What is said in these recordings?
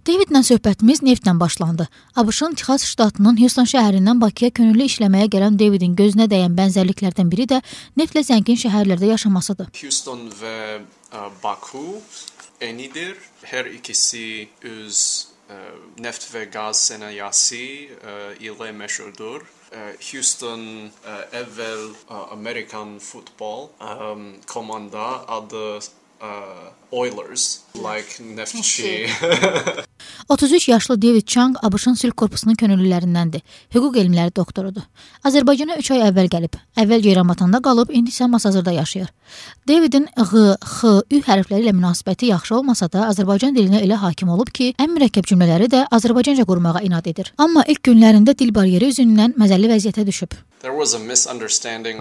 Davidlə söhbətimiz neftlə başlandı. ABŞ-ın Texas ştatının Houston şəhərindən Bakıya könüllü işləməyə gələn Davidin gözünə dəyən bənzərliklərdən biri də neftlə zəngin şəhərlərdə yaşamasıdır. Houston və Baku eynidir. Hər ikisi öz neft və qaz sənayesi ilə məşhurdur. Houston əvvəl American futbol komanda adı Oilers, like neftçi. 33 yaşlı David Chang ABŞ-ın sülh korpusunun könüllülərindəndir. Hüquq elmləri doktorudur. Azərbaycana 3 ay əvvəl gəlib. Əvvəl Ceyranbatanda qalıb, indi isə Masazırda yaşayır. Davidin Ğ, X, Ü hərfləri ilə münasibəti yaxşı olmasa da, Azərbaycan dilinə elə hakim olub ki, ən mürəkkəb cümlələri də Azərbaycanca qurmağa inad edir. Amma ilk günlərində dil bariyeri üzündən məzəlli vəziyyətə düşüb.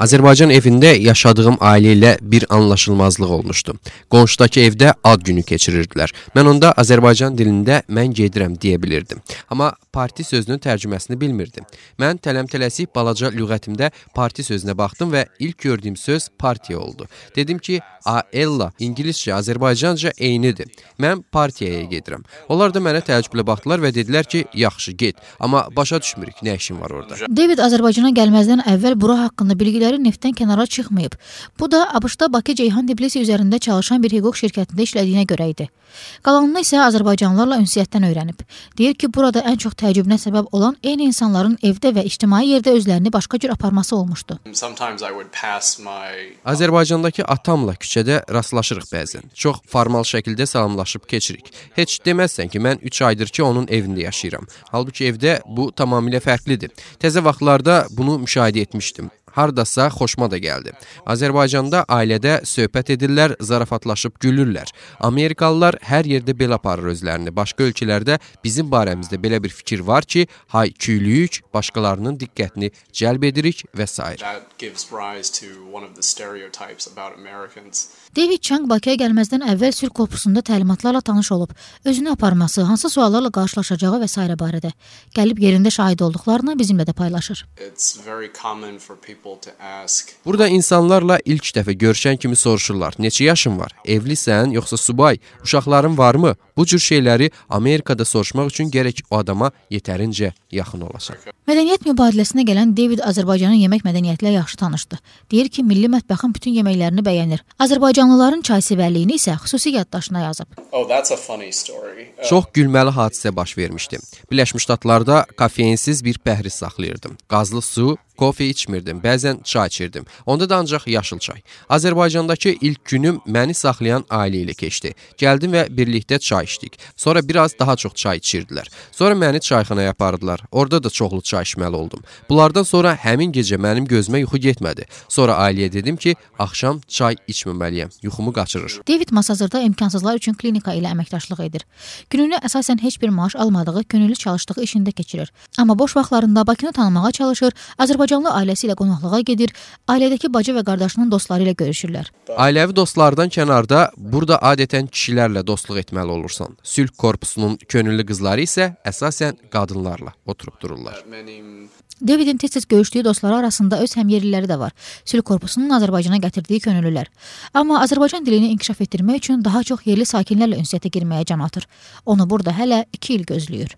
Azərbaycan evində yaşadığım ailə ilə bir anlaşılmazlıq olmuşdu. Qonşudakı evdə ad günü keçirirdilər. Mən onda Azərbaycan dilində mən gedirəm deyə bilirdim. Amma parti sözünün tərcüməsini bilmirdim. Mən tələm-tələsik balaca lüğətimdə parti sözünə baxdım və ilk gördüyüm söz partiya oldu. Dedim ki, Ella, İngiliscə, Azərbaycanca eynidir. Mən partiyaya gedirəm. Onlar da mənə təəccüblə baxdılar və dedilər ki, yaxşı, get. Amma başa düşmürük, nə işin var orada. David Azərbaycana gəlməzdən əvvəl bura haqqında bilgiləri neftdən kənara çıxmayıb. Bu da ABŞ-da Bakı-Ceyhan Tbilisi üzərində çalışan bir hüquq şirkətində işlədiyinə görə idi. Qalanını isə Azərbaycanlılarla ünsiyyətdən öyrənib. Deyir ki, burada ən çox təəccübünə səbəb olan eyni insanların evdə və ictimai yerdə özlərini başqa cür aparması olmuşdu. Azərbaycandakı atamla küçədə rastlaşırıq bəzən. Çox formal şəkildə salamlaşıb keçirik. Heç deməzsən ki, mən 3 aydır ki, onun evində yaşayıram. Halbuki evdə bu tamamilə fərqlidir. Təzə vaxtlarda bunu müşahidə etmişdim. Hardasa xoşuma da gəldi. Azərbaycanda ailədə söhbət edirlər, zarafatlaşıb gülürlər. Amerikalılar hər yerdə belə aparır özlərini. Başqa ölkələrdə bizim barəmizdə belə bir fikir var ki, hay-küylüyük, başqalarının diqqətini cəlb edirik və s. David Chang Bakıya gəlməzdən əvvəl sülh korpusunda təlimatlarla tanış olub. Özünü aparması, hansı suallarla qarşılaşacağı və s. barədə gəlib yerində şahid olduqlarını bizimlə də paylaşır. Burada insanlarla ilk dəfə görüşən kimi soruşurlar. Neçə yaşın var? Evlisən, yoxsa subay? Uşaqların varmı? Bu cür şeyləri Amerikada soruşmaq üçün gərək o adama yetərincə yaxın olasan. Mədəniyyət mübadiləsinə gələn David Azərbaycanın yemək mədəniyyətlə yaxşı tanışdı. Deyir ki, milli mətbəxin bütün yeməklərini bəyənir. Azərbaycanlıların çaysevərliyini isə xüsusi yaddaşına yazıb. Çox gülməli hadisə baş vermişdi. Birləşmiş Ştatlarda kafeinsiz bir pəhriz saxlayırdım. Qazlı su, kofe içmirdim, bəzən çay içirdim. Onda da ancaq yaşıl çay. Azərbaycandakı ilk günüm məni saxlayan ailə ilə keçdi. Gəldim və birlikdə çay içdik. Sonra biraz daha çox çay içirdilər. Sonra məni çayxanaya apardılar. Orada da çoxlu çay içməli oldum. Bunlardan sonra həmin gecə mənim gözümə yuxu getmədi. Sonra ailəyə dedim ki, axşam çay içməməliyəm. Yuxumu qaçırır. David Masazırda imkansızlar üçün klinika ilə əməkdaşlıq edir. Gününü əsasən heç bir maaş almadığı, könüllü çalışdığı işində keçirir. Amma boş vaxtlarında Bakını tanımağa çalışır, Azərbaycanlı ailəsi ilə qonaqlığa gedir, ailədəki bacı və qardaşının dostları ilə görüşürlər. Ailəvi dostlardan kənarda burada adətən kişilərlə dostluq etməli olursan. Sülh korpusunun könüllü qızları isə əsasən qadınlarla oturub dururlar. Davidin tez-tez görüşdüyü dostları arasında öz həmyerliləri də var. Sülh korpusunun Azərbaycana gətirdiyi könüllülər. Amma Azərbaycan dilini inkişaf etdirmək üçün daha çox yerli sakinlərlə ünsiyyətə girməyə can atır. Onu burada hələ 2 il gözləyir.